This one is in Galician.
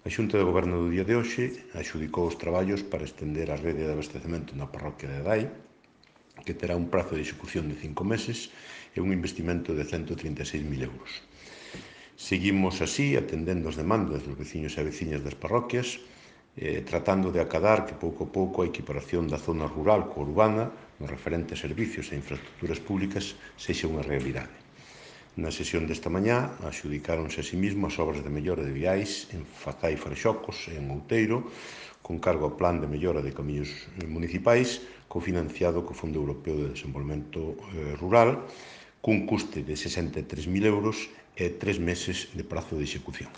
A Xunta de Goberno do día de hoxe adxudicou os traballos para estender a rede de abastecemento na parroquia de Adai, que terá un prazo de execución de 5 meses e un investimento de 136.000 euros. Seguimos así atendendo as demandas dos veciños e veciñas das parroquias, tratando de acadar que pouco a pouco a equiparación da zona rural coa urbana, no referente a servicios e infraestructuras públicas, sexa unha realidade. Na sesión desta mañá adxudicáronse a sí mesmo as obras de mellora de viais en Fazai Freixocos e en Outeiro, con cargo ao plan de mellora de camiños municipais, cofinanciado co Fondo Europeo de Desenvolvemento Rural, cun custe de 63.000 euros e 3 meses de prazo de execución.